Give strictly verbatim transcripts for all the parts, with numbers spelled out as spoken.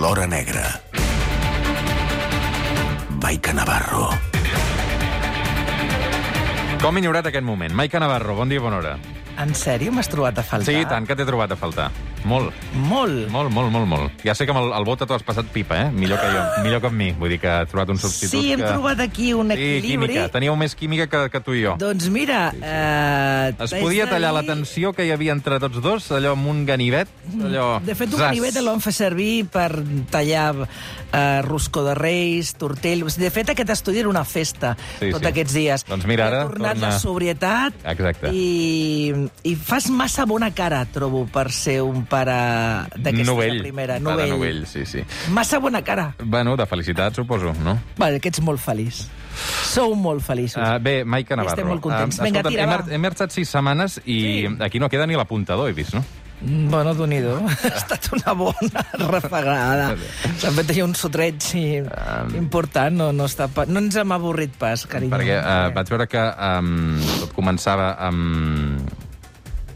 l'hora negra. Maica Navarro. Com he ignorat aquest moment? Maica Navarro, bon dia, bona hora. En sèrio m'has trobat a faltar? Sí, tant que t'he trobat a faltar. Molt. Molt? Molt, molt, molt, molt. Ja sé que amb el, el Bota t'ho has passat pipa, eh? Millor que jo, millor que amb mi. Vull dir que has trobat un substitut Sí, hem que... trobat aquí un equilibri. Sí, química. Teníeu més química que, que tu i jo. Doncs mira... Sí, sí. Eh, Es podia tallar la tensió que hi havia entre tots dos, allò amb un ganivet, allò... De fet, un Zas. ganivet el vam fer servir per tallar eh, roscó de reis, tortell... De fet, aquest estudi era una festa, Sí, tots sí. aquests dies. Doncs mira, ara Ha tornat torna- la sobrietat. Exacte. I, I fas massa bona cara, trobo, per ser un pare d'aquesta Novell. primera. Pare Novell. novell, sí, sí. Massa bona cara. Bueno, de felicitat, suposo, no? Vale, que ets molt feliç. Sou molt feliços. Uh, bé, Maica Navarro. Estem molt contents. Uh, Vinga, escolta'm, tira, hem, va. mar- hem marxat sis setmanes i Sí. aquí no queda ni l'apuntador, he vist, no? Bueno, Déu-n'hi-do. Ha estat una bona refregada. S'ha fet allà un sotreig i important. No, no, està pa... no ens hem avorrit pas, carinyo. Perquè uh, vaig veure que um, tot començava amb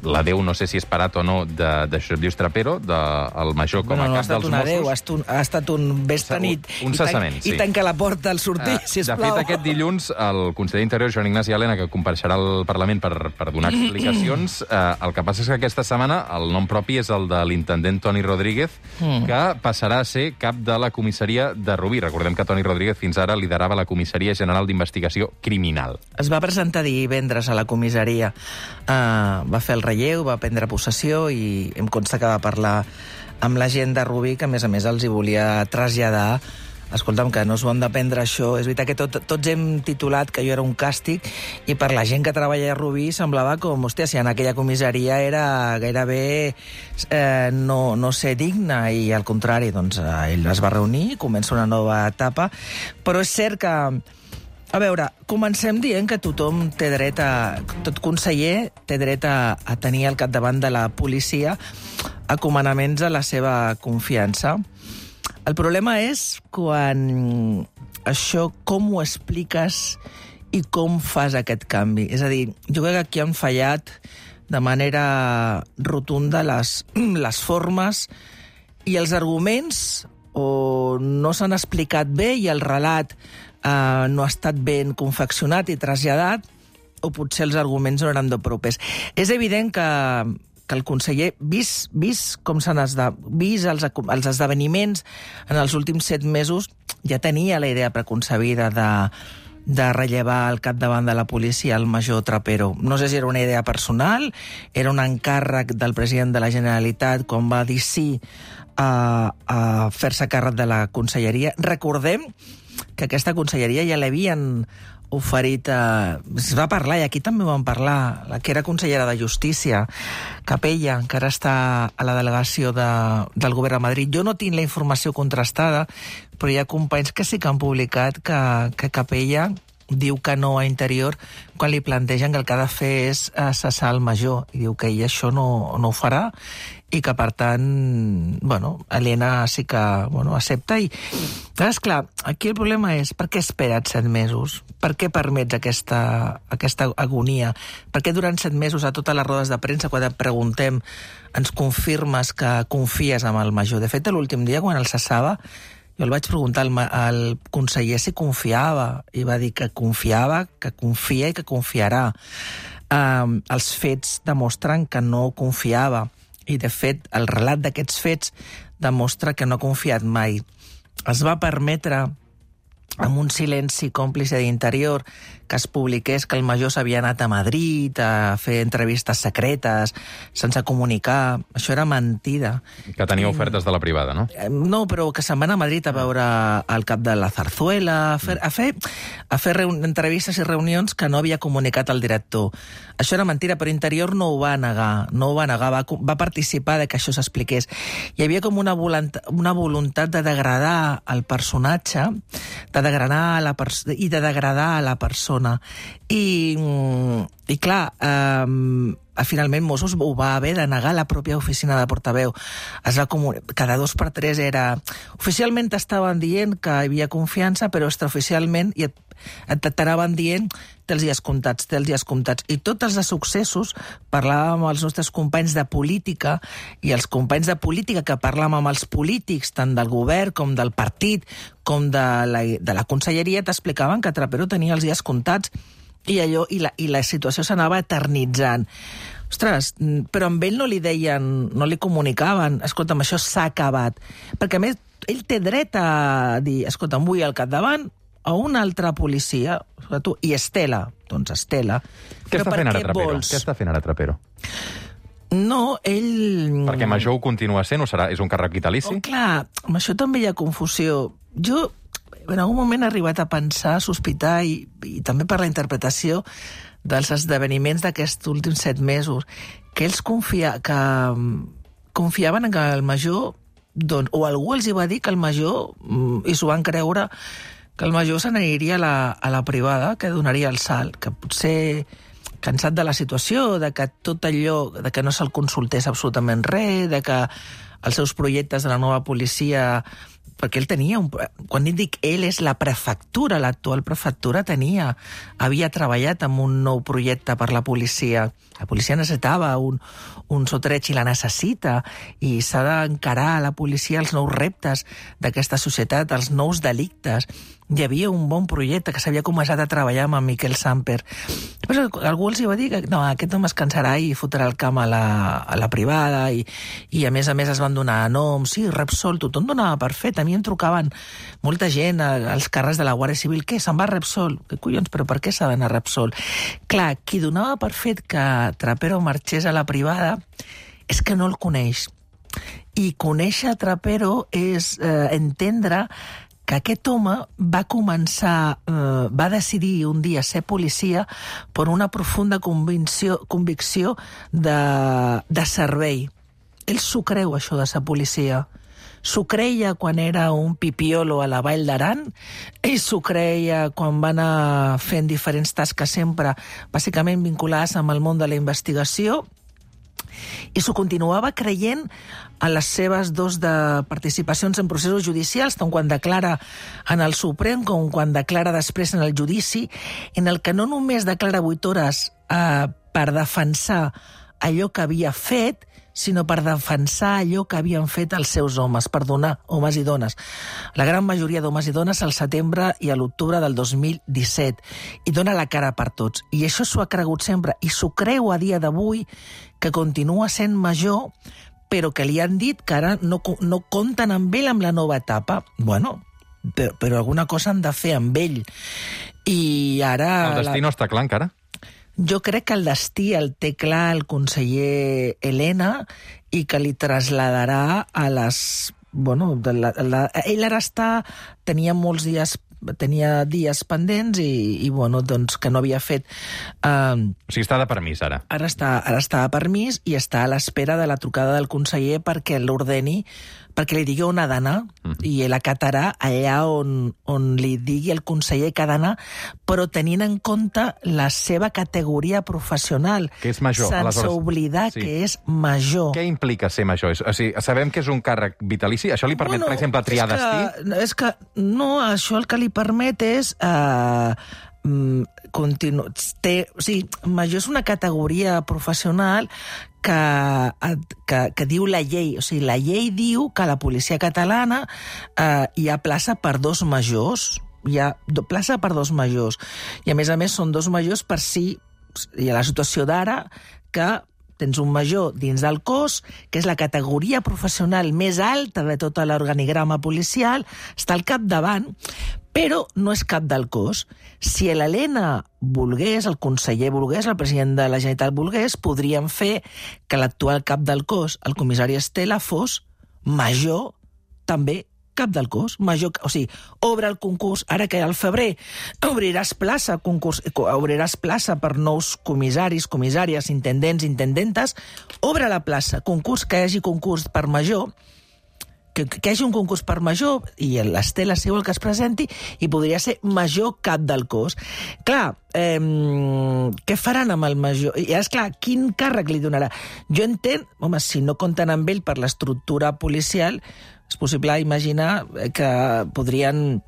la Déu, no sé si és parat o no, de, de Josep Lluís Trapero, del de, major com Bueno, a no ha cap estat dels una Mossos. Déu, ha estat un, ha estat un vés-te nit. Un i tan- cessament, sí. I tanca la porta al sortir, Eh, sisplau. De fet, aquest dilluns, el conseller d'Interior, Joan Ignasi Elena, que compareixerà al Parlament per, per donar explicacions, eh, el que passa és que aquesta setmana el nom propi és el de l'intendent Toni Rodríguez, Mm. que passarà a ser cap de la comissaria de Rubí. Recordem que Toni Rodríguez fins ara liderava la Comissaria General d'Investigació Criminal. Es va presentar divendres a la comissaria. Uh, va fer el relleu, va prendre possessió i em consta que va parlar amb la gent de Rubí, que a més a més els hi volia traslladar. Escolta'm, que no s'ho han de prendre això. És veritat que tot, tots hem titulat que jo era un càstig i per la gent que treballa a Rubí semblava com, hòstia, si en aquella comissaria era gairebé eh, no, no ser digna, i al contrari, doncs eh, ell es va reunir, comença una nova etapa, però és cert que a veure, comencem dient que tothom té dret a... Tot conseller té dret a, a tenir al capdavant de la policia a comandaments a la seva confiança. El problema és quan això, com ho expliques i com fas aquest canvi. És a dir, jo crec que aquí han fallat de manera rotunda les, les formes i els arguments, o no s'han explicat bé i el relat Uh, no ha estat ben confeccionat i traslladat, o potser els arguments no eren de propers. És evident que, que el conseller, vist, vist com s'han esde... vist els, els esdeveniments en els últims set mesos, ja tenia la idea preconcebida de, de rellevar al capdavant de la policia el major Trapero. No sé si era una idea personal, era un encàrrec del president de la Generalitat quan va dir sí a, a fer-se càrrec de la conselleria. Recordem que aquesta conselleria ja l'havien oferit... Eh, es va parlar, i aquí també vam parlar, la que era consellera de Justícia, Capella, que ara està a la delegació de, del govern de Madrid. Jo no tinc la informació contrastada, però hi ha companys que sí que han publicat que, que Capella diu que no a Interior quan li plantegen que el que ha de fer és eh, cessar el major, i diu que ell això no, no ho farà, i que, per tant, bueno, Elena sí que bueno, accepta. I, és clar, aquí el problema és per què espera't set mesos? Per què permets aquesta, aquesta agonia? Per què durant set mesos a totes les rodes de premsa, quan et preguntem, ens confirmes que confies en el major? De fet, l'últim dia, quan el cessava, jo el vaig preguntar al, al conseller si confiava, i va dir que confiava, que confia i que confiarà. Um, els fets demostren que no confiava, i, de fet, el relat d'aquests fets demostra que no ha confiat mai. Es va permetre, amb un silenci còmplice d'Interior, que es publiqués que el major s'havia anat a Madrid a fer entrevistes secretes, sense comunicar. Això era mentida. Que tenia ofertes de la privada, no? No, però que se'n va anar a Madrid a veure el cap de la Zarzuela, a fer, a fer, a fer entrevistes i reunions que no havia comunicat el director. Això era mentida, però Interior no ho va negar, no ho va negar, va, va participar de que això s'expliqués. Hi havia com una voluntat, una voluntat de degradar el personatge, de degradar la pers- i de degradar a la persona. I, i clar, eh, finalment Mossos ho va haver de negar la pròpia oficina de portaveu. Es va comun... Cada dos per tres era... Oficialment estaven dient que hi havia confiança, però extraoficialment i et, et t'anaven dient té els dies comptats, té els dies comptats. I tots els de successos, parlàvem amb els nostres companys de política i els companys de política que parlàvem amb els polítics, tant del govern com del partit, com de la, de la conselleria, t'explicaven que Trapero tenia els dies comptats i allò i la, i la situació s'anava eternitzant. Ostres, però amb ell no li deien, no li comunicaven, escolta'm, això s'ha acabat. Perquè a més, ell té dret a dir, escolta'm, vull al capdavant a una altra policia, tu, i Estela, doncs Estela. Què està fent ara Trapero? Què està fent ara Trapero? No, ell... Perquè Major ho continua sent, o serà, és un càrrec vitalici? Oh, clar, amb això també hi ha confusió. Jo, en algun moment he arribat a pensar, a sospitar, i, i també per la interpretació dels esdeveniments d'aquests últims set mesos, que ells confia, que, confiaven en que el Major, doncs, o algú els hi va dir que el Major, i s'ho van creure, que el Major se n'aniria a, la, a la privada, que donaria el salt, que potser cansat de la situació, de que tot allò, de que no se'l consultés absolutament res, de que els seus projectes de la nova policia, perquè ell tenia, un, quan dic ell, és la prefectura, l'actual prefectura tenia, havia treballat en un nou projecte per la policia. La policia necessitava un, un sotreig i la necessita, i s'ha d'encarar a la policia els nous reptes d'aquesta societat, els nous delictes. Hi havia un bon projecte que s'havia començat a treballar amb en Miquel Samper. Però algú els hi va dir que no, aquest home es cansarà i fotrà el camp a la, a la privada, i, i a més a més es van donar noms, sí, Repsol, tothom donava per fet. A mi em trucaven molta gent als carrers de la Guàrdia Civil, què, se'n va a Repsol? Què collons, però per què s'ha d'anar a Repsol? Clar, qui donava per fet que Trapero marxés a la privada és que no el coneix. I conèixer Trapero és eh, entendre que aquest home va començar, eh, va decidir un dia ser policia per una profunda convicció, convicció de, de servei. Ell s'ho creu, això de ser policia. S'ho creia quan era un pipiolo a la Vall d'Aran, i s'ho creia quan va anar fent diferents tasques sempre, bàsicament vinculades amb el món de la investigació, i s'ho continuava creient a les seves dos de participacions en processos judicials, tant quan declara en el Suprem com quan declara després en el judici, en el que no només declara vuit hores eh, per defensar allò que havia fet, sinó per defensar allò que havien fet els seus homes, per donar homes i dones. La gran majoria d'homes i dones al setembre i a l'octubre del dos mil disset. I dona la cara per tots. I això s'ho ha cregut sempre. I s'ho creu a dia d'avui, que continua sent Major, però que li han dit que ara no, no compten amb ell amb la nova etapa. Bueno, però, però alguna cosa han de fer amb ell. I ara... El destí la... no està clar encara? Jo crec que el destí el té clar el conseller Elena i que li traslladarà a les... Bueno, de la, la, ell ara està... Tenia molts dies tenia dies pendents i, i bueno, doncs que no havia fet... Eh, o sigui, està de permís, ara. Ara està, ara està de permís i està a l'espera de la trucada del conseller perquè l'ordeni, perquè li digui on ha d'anar, uh-huh. i ell acatarà allà on, on li digui el conseller que ha d'anar, però tenint en compte la seva categoria professional. Que és major, sense aleshores. Oblidar sí. que és major. Què implica ser major? O sigui, sabem que és un càrrec vitalici? Això li permet, bueno, per exemple, triar és que, destí? És que no, això el que li permet és... Eh, continu... Té, o sigui, major és una categoria professional que, que, que diu la llei. O sigui, la llei diu que a la policia catalana eh, hi ha plaça per dos majors. Hi ha plaça per dos majors. I, a més a més, són dos majors per si hi ha la situació d'ara que tens un major dins del cos, que és la categoria professional més alta de tot l'organigrama policial, està al capdavant, però no és cap del cos. Si l'Helena volgués, el conseller volgués, el president de la Generalitat volgués, podríem fer que l'actual cap del cos, el comissari Estela, fos major també cap del cos, major, o sigui, obre el concurs, ara que al febrer obriràs plaça, concurs, obriràs plaça per nous comissaris, comissàries, intendents, intendentes, obre la plaça, concurs, que hi hagi concurs per major, que, que hi hagi un concurs per major, i l'Estela, si vol que es presenti, i podria ser major cap del cos. Clar, eh, què faran amb el major? I és clar, quin càrrec li donarà? Jo entenc, home, si no compten amb ell per l'estructura policial, és possible imaginar que podrien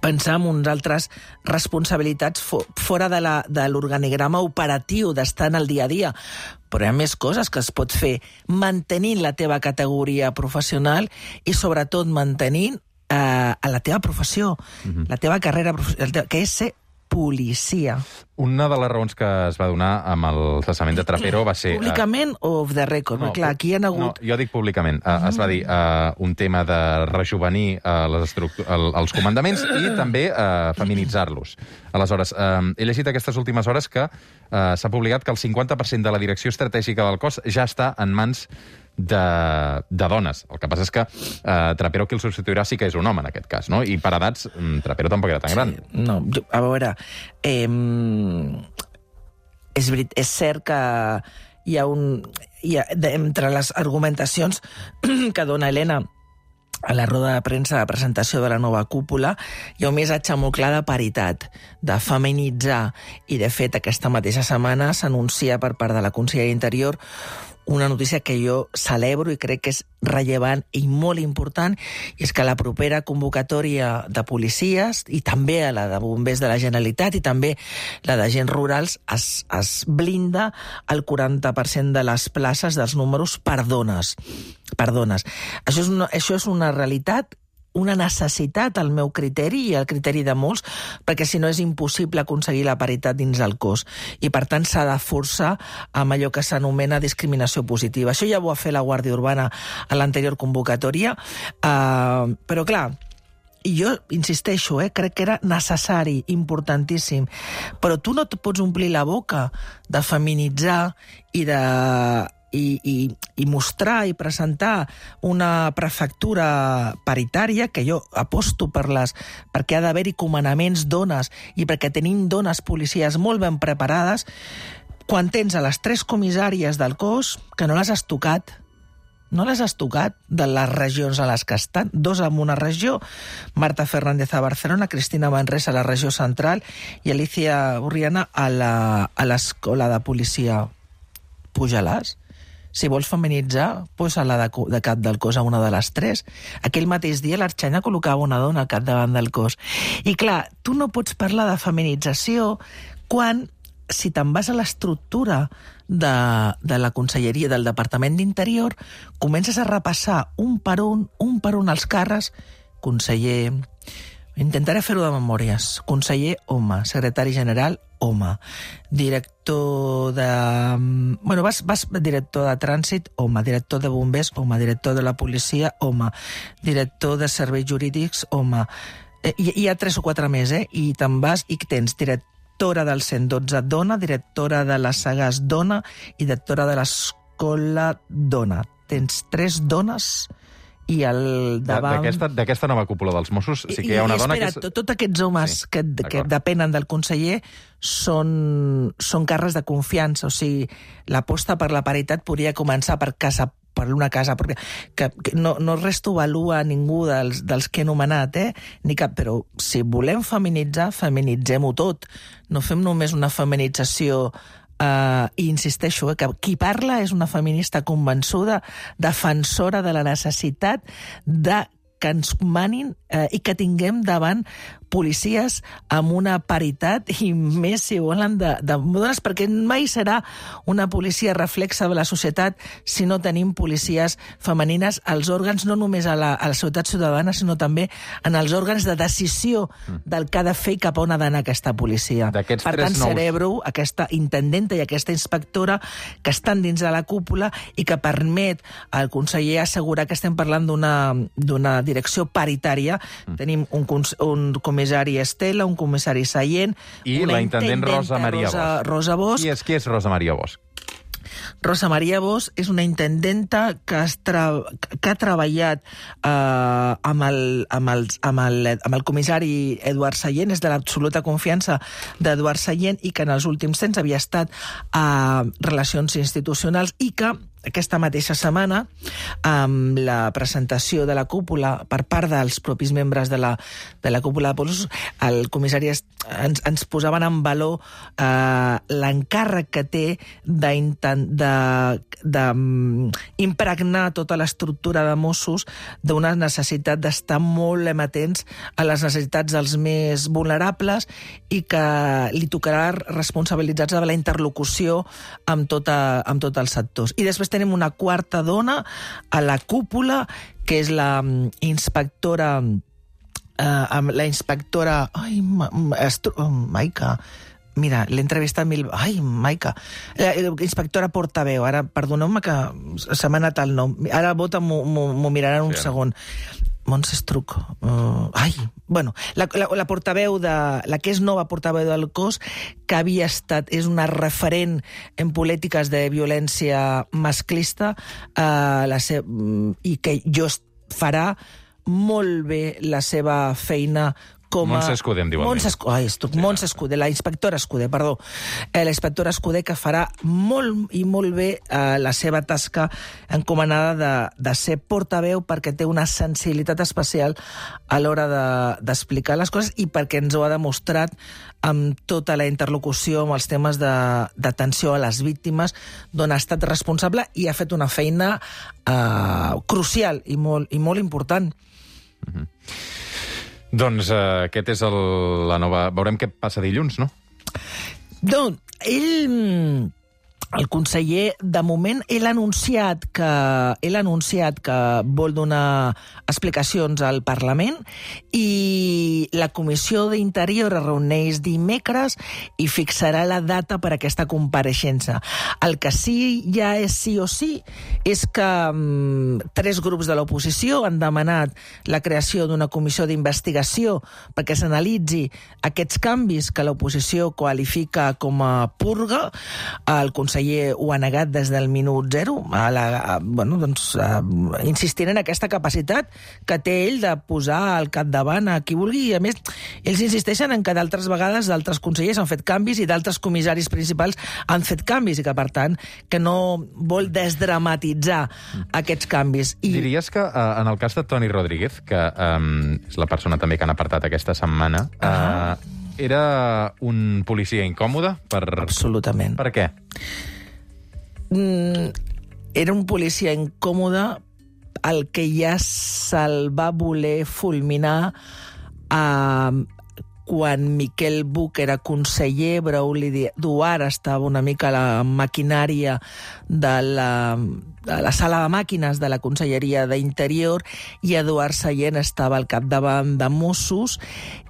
pensar en uns altres responsabilitats fo fora de la, de l'organigrama operatiu, d'estar en el dia a dia. Però hi ha més coses que es pot fer mantenint la teva categoria professional i sobretot mantenint eh, la teva professió, mm-hmm. la teva carrera professional, que és ser policia. Una de les raons que es va donar amb el cessament de Trapero va ser... Públicament uh... o off the record? No, clar, aquí hi ha hagut... No, jo dic públicament. Uh, mm. Es va dir uh, un tema de rejuvenir uh, les el, els comandaments i també uh, feminitzar-los. Aleshores, uh, he llegit aquestes últimes hores que uh, s'ha publicat que el cinquanta per cent de la direcció estratègica del cos ja està en mans de, de dones. El que passa és que uh, Trapero, qui el substituirà, sí que és un home, en aquest cas, no? I per edats, um, Trapero tampoc era tan sí, gran. No, jo, a veure... Eh, és, és cert que hi ha un... Hi ha, de, entre les argumentacions que dona Helena a la roda de premsa de presentació de la nova cúpula, hi ha un missatge molt clar de paritat, de feminitzar, i de fet aquesta mateixa setmana s'anuncia per part de la Conselleria d'Interior una notícia que jo celebro i crec que és rellevant i molt important, i és que la propera convocatòria de policies, i també a la de bombers de la Generalitat, i també la d'agents rurals, es, es blinda el quaranta per cent de les places dels números per dones. Per dones. Això és una, això és una realitat, una necessitat al meu criteri i al criteri de molts, perquè si no és impossible aconseguir la paritat dins del cos. I per tant s'ha de forçar amb allò que s'anomena discriminació positiva. Això ja ho va fer la Guàrdia Urbana a l'anterior convocatòria, uh, però clar, i jo insisteixo, eh, crec que era necessari, importantíssim, però tu no et pots omplir la boca de feminitzar i de... I, i, i mostrar i presentar una prefectura paritària, que jo aposto per les, perquè ha d'haver-hi comandaments dones i perquè tenim dones policies molt ben preparades, quan tens a les tres comissàries del cos que no les has tocat, no les has tocat de les regions a les que estan, dos en una regió, Marta Fernández a Barcelona, Cristina Manresa a la regió central i Alicia Urriana a l'escola de policia. Puja-les. Si vols feminitzar, posa la de, de cap del cos a una de les tres. Aquell mateix dia l'Arxanya col·locava una dona al capdavant del cos. I clar, tu no pots parlar de feminització quan, si te'n vas a l'estructura de, de la Conselleria del Departament d'Interior, comences a repassar un per un, un per un els càrrecs, conseller... Intentaré fer-ho de memòries. Conseller, home. Secretari general, home. Director de... Bueno, vas, vas director de trànsit, home. Director de bombers, home. Director de la policia, home. Director de serveis jurídics, home. Eh, hi, hi ha tres o quatre més, eh? I te'n vas i tens directora del cent dotze, dona, directora de la Sagàs, dona, i directora de l'escola, dona. Tens tres dones... i el davant... D'aquesta nova cúpula dels Mossos sí que hi ha una I, dona espera, que... És... Tots aquests homes sí, que, que depenen del conseller són, són càrrecs de confiança, o sigui, l'aposta per la paritat podria començar per casa per una casa pròpia, que, que no, no res t'ho avalua ningú dels, dels que he anomenat, eh? Ni cap, però si volem feminitzar, feminitzem-ho tot. No fem només una feminització... Uh, i insisteixo, eh, que qui parla és una feminista convençuda, defensora de la necessitat de que ens manin eh, i que tinguem davant policies amb una paritat i més, si volen, de, de dones, perquè mai serà una policia reflexa de la societat si no tenim policies femenines als òrgans, no només a la, a la societat ciutadana, sinó també en els òrgans de decisió del que ha de fer i cap on ha d'anar aquesta policia. Per tant, nous... celebro aquesta intendenta i aquesta inspectora que estan dins de la cúpula i que permet al conseller assegurar que estem parlant d'una direcció paritària. Mm. Tenim un, un comissari Estela, un comissari Sallent... I la intendent Rosa Maria Rosa, Rosa Bosch. Qui és, qui és Rosa Maria Bosch? Rosa Maria Bosch és una intendenta que, tra... que ha treballat eh, amb, el, amb, el, amb, el, amb el comissari Eduard Sallent, és de l'absoluta confiança d'Eduard Sallent i que en els últims temps havia estat a Relacions Institucionals i que aquesta mateixa setmana, amb la presentació de la cúpula per part dels propis membres de la, de la cúpula de Mossos, el comissari ens, ens posaven en valor eh, l'encàrrec que té d'impregnar tota l'estructura de Mossos d'una necessitat d'estar molt amatents a les necessitats dels més vulnerables i que li tocarà responsabilitzar-se de la interlocució amb, tota, amb tots els sectors. I després tenim una quarta dona a la cúpula, que és la inspectora... Eh, la inspectora... Ai, ma, estru, oh, Maica... Mira, l'he entrevistat mil... Ai, Maica. La inspectora portaveu. Ara, perdoneu-me que se m'ha anat el nom. Ara Bota m'ho miraran un sí, segon. Montse Estruc. Uh, ai, bueno, la, la, la portaveu de... La que és nova portaveu del cos, que havia estat... És una referent en polítiques de violència masclista uh, la se, i que jo farà molt bé la seva feina com a... Montse Escuder, em diu el Montse Escuder, ai, estuc, sí, Montse Escuder, la inspectora Escuder, perdó. Eh, la inspectora Escuder, que farà molt i molt bé eh, la seva tasca encomanada de, de ser portaveu, perquè té una sensibilitat especial a l'hora d'explicar de, les coses i perquè ens ho ha demostrat amb tota la interlocució amb els temes d'atenció a les víctimes, d'on ha estat responsable i ha fet una feina eh, crucial i molt, i molt important. Mm-hmm. Doncs uh, aquest és el, la nova... Veurem què passa dilluns, no? Doncs ell... El conseller, de moment, ell ha anunciat que, ell ha anunciat que vol donar explicacions al Parlament i la Comissió d'Interior es reuneix dimecres i fixarà la data per a aquesta compareixença. El que sí ja és sí o sí és que um, tres grups de l'oposició han demanat la creació d'una comissió d'investigació perquè s'analitzi aquests canvis que l'oposició qualifica com a purga. El conseller ho ha negat des del minut zero, a la, a, bueno, doncs, a, insistint en aquesta capacitat que té ell de posar al capdavant a qui vulgui, i a més, ells insisteixen en que d'altres vegades d'altres consellers han fet canvis i d'altres comissaris principals han fet canvis, i que, per tant, que no vol desdramatitzar aquests canvis. I... Diries que, uh, en el cas de Toni Rodríguez, que um, és la persona també que han apartat aquesta setmana, uh -huh. uh, era un policia incòmode? Per... Absolutament. Per què? Mm, era un policia incòmode el que ja se'l va voler fulminar a... quan Miquel Buch era conseller, Brauli Duart estava una mica a la maquinària de la, de la sala de màquines de la Conselleria d'Interior i Eduard Sallent estava al capdavant de Mossos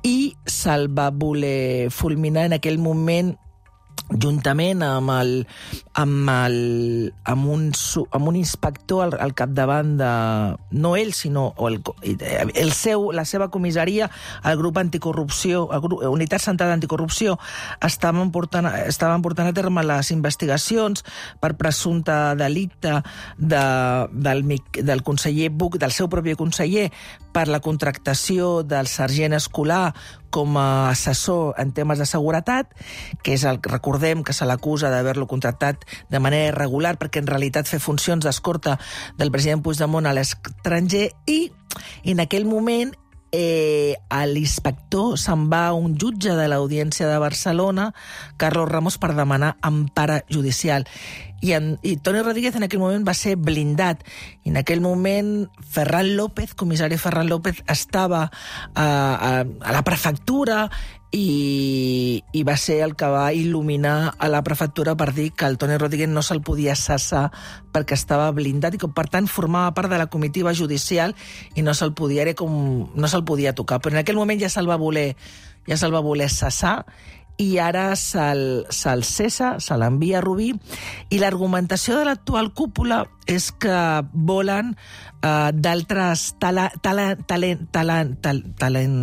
i se'l va voler fulminar en aquell moment juntament amb, el, amb, el, amb, un, amb un inspector al, al capdavant de... No ell, sinó el, el seu, la seva comissaria, el grup anticorrupció, el grup, Unitat Central d'Anticorrupció, estaven portant, estaven portant a terme les investigacions per presumpte delicte de, del, del conseller Buch, del seu propi conseller, per la contractació del sergent Escolar com a assessor en temes de seguretat, que és el, recordem que se l'acusa d'haver-lo contractat de manera irregular perquè en realitat fer funcions d'escorta del president Puigdemont a l'estranger, i en aquell moment eh, l'inspector se'n va a un jutge de l'Audiència de Barcelona, Carlos Ramos, per demanar empara judicial. I, en, i Toni Rodríguez en aquell moment va ser blindat. I en aquell moment Ferran López, comissari Ferran López, estava a, a, a la prefectura i, i va ser el que va il·luminar a la prefectura per dir que el Toni Rodríguez no se'l podia cessar perquè estava blindat i que, per tant, formava part de la comitiva judicial i no se'l podia, com, no se'l podia tocar. Però en aquell moment ja se'l va voler, ja se'l va voler cessar i ara se'l se cessa, se l'envia a Rubí, i l'argumentació de l'actual cúpula és que volen uh, d'altres tala, tala, talent, talent, tal, talent,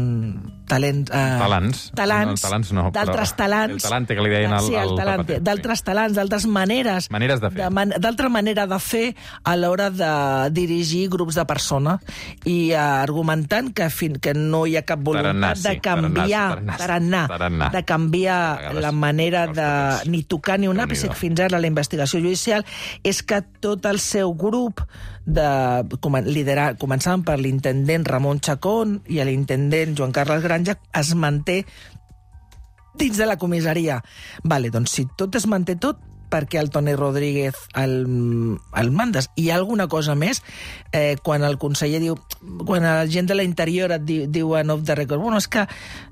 talent, uh, Talants. talants, No, talants no, d'altres però talants. el talante que li deien al- sí, el al talante, Zapater, d'altres sí. talants, d'altres maneres. Maneres de fer. man- D'altra manera de fer a l'hora de dirigir grups de persones i uh, argumentant que, fin, que no hi ha cap voluntat Tarannà, sí, de canviar, tarannà, tarannà, tarannà. de canviar A vegades la manera costa de més. ni tocar ni un Déu-n'hi-do. àpice fins ara la investigació judicial, és que tot el seu grup de liderar, començant per l'intendent Ramon Chacón i l'intendent Joan Carles Granja, es manté dins de la comissaria. Vale, doncs si tot es manté tot, perquè el Toni Rodríguez el, el mandes. Hi ha alguna cosa més? Eh, quan el conseller diu... Quan la gent de l'interior et diu, diuen off the record, bueno, és que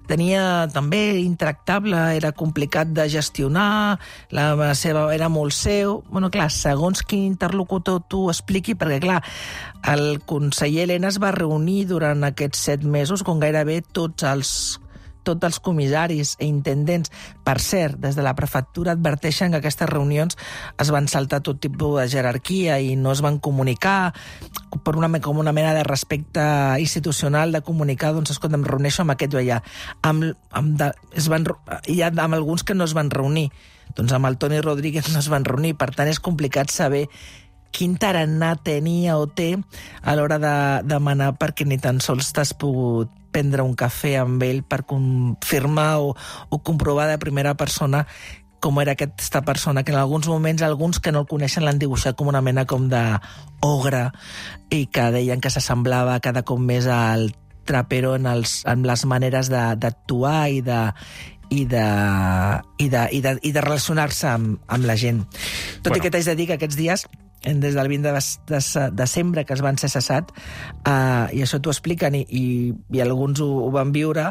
tenia també intractable, era complicat de gestionar, la seva era molt seu... Bueno, clar, segons quin interlocutor tu expliqui, perquè, clar, el conseller Elena es va reunir durant aquests set mesos com gairebé tots els tots els comissaris i intendents. Per cert, des de la prefectura adverteixen que aquestes reunions es van saltar tot tipus de jerarquia i no es van comunicar per una, com una mena de respecte institucional de comunicar, doncs, escolta, em reuneixo amb aquest o allà. Amb, amb de, es van, hi ha amb alguns que no es van reunir. Doncs amb el Toni Rodríguez no es van reunir. Per tant, és complicat saber quin tarannà tenia o té a l'hora de demanar perquè ni tan sols t'has pogut prendre un cafè amb ell per confirmar o, o comprovar de primera persona com era aquesta persona, que en alguns moments alguns que no el coneixen l'han dibuixat com una mena com d'ogre i que deien que s'assemblava cada cop més al Trapero en, els, en les maneres d'actuar i de i de, i de, i de, i de relacionar-se amb, amb la gent. Tot bueno. I que t'haig de dir que aquests dies, des del vint de desembre, que es van ser cessat, eh, i això t'ho expliquen, i, i, i alguns ho, ho van viure,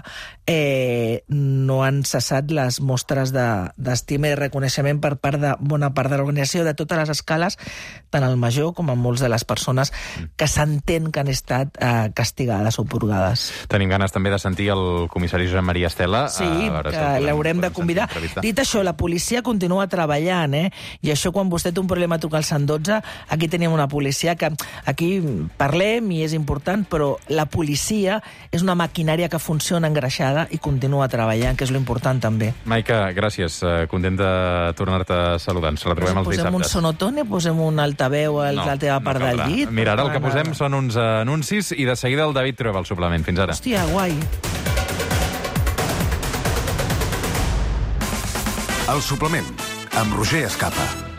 eh, no han cessat les mostres d'estima de, i reconeixement per part de bona part de l'organització, de totes les escales, tant al major com a molts de les persones que s'entén que han estat eh, castigades o purgades. Tenim ganes també de sentir el comissari Josep Maria Estela. Sí, que l'haurem de convidar. Dit això, la policia continua treballant, eh? I això, quan vostè té un problema a trucar al cent dotze, aquí tenim una policia que aquí parlem i és important, però la policia és una maquinària que funciona engreixada i continua treballant, que és l'important també. Maica, gràcies. Content de tornar-te a saludar. Ens retrobem els dissabtes. Posem un sonotone, posem un altaveu a la teva part del llit. Mira, ara el que posem són uns anuncis i de seguida el David troba el suplement. Fins ara. Hòstia, guai. El suplement, amb Roger Escapa.